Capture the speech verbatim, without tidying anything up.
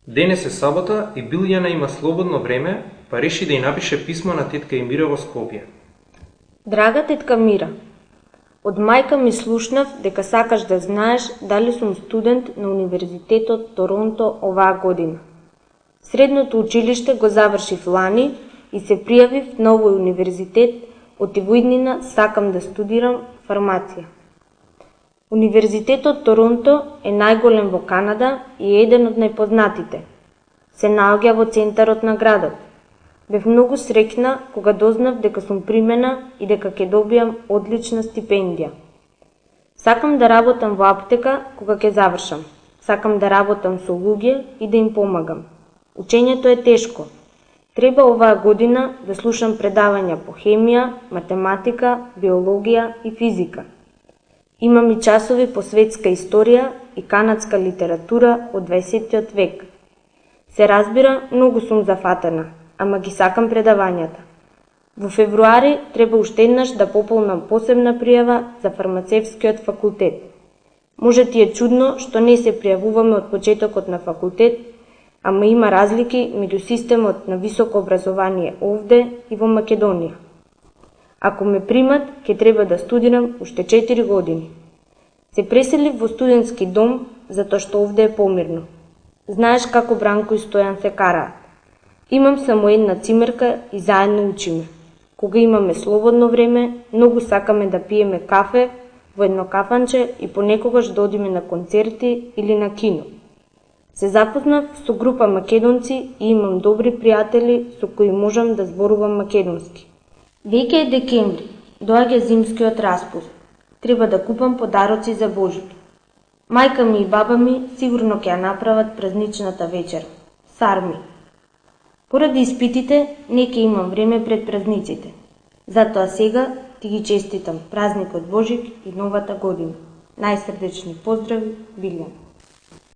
Денес е сабота и Билјана има слободно време, па реши да ја напише писмо на тетка Мира во Скопје. Драга тетка Мира, од мајка ми слушнав дека сакаш да знаеш дали сум студент на Универзитетот Торонто оваа година. Средното училиште го завршив лани и се пријавив на овој универзитет, од ивоиднина сакам да студирам фармација. Универзитетот Торонто е најголем во Канада и е еден од најпознатите. Се наоѓа во центарот на градот. Бев многу среќна кога дознав дека сум примена и дека ќе добијам одлична стипендија. Сакам да работам во аптека кога ќе завршам. Сакам да работам со луѓе и да им помагам. Учењето е тешко. Треба оваа година да слушам предавања по хемија, математика, биологија и физика. Имам и часови по светска историја и канадска литература од дваесеттиот век. Се разбира, многу сум зафатена, ама ги сакам предавањата. Во февруари треба уште еднаш да пополнам посебна пријава за фармацевскиот факултет. Може ти е чудно што не се пријавуваме од почетокот на факултет, ама има разлики меѓу системот на високо образование овде и во Македонија. Ако ме примат, ќе треба да студирам уште четири години. Се преселив во студентски дом, затоа што овде е помирно. Знаеш како Бранко и Стојан се караат. Имам само една цимерка и заедно учиме. Кога имаме слободно време, многу сакаме да пиеме кафе во едно кафанче и понекогаш да одиме на концерти или на кино. Се запознав со група македонци и имам добри пријатели со кои можам да зборувам македонски. Веќе е декември, доаѓа зимскиот распуст. Треба да купам подароци за Божито. Мајка ми и баба ми сигурно ќе ја направат празничната вечер. Сарми. Поради испитите, не ќе имам време пред празниците. Затоа сега ти ги честитам празникот Божик и новата година. Најсрдечни поздрави, Билјана.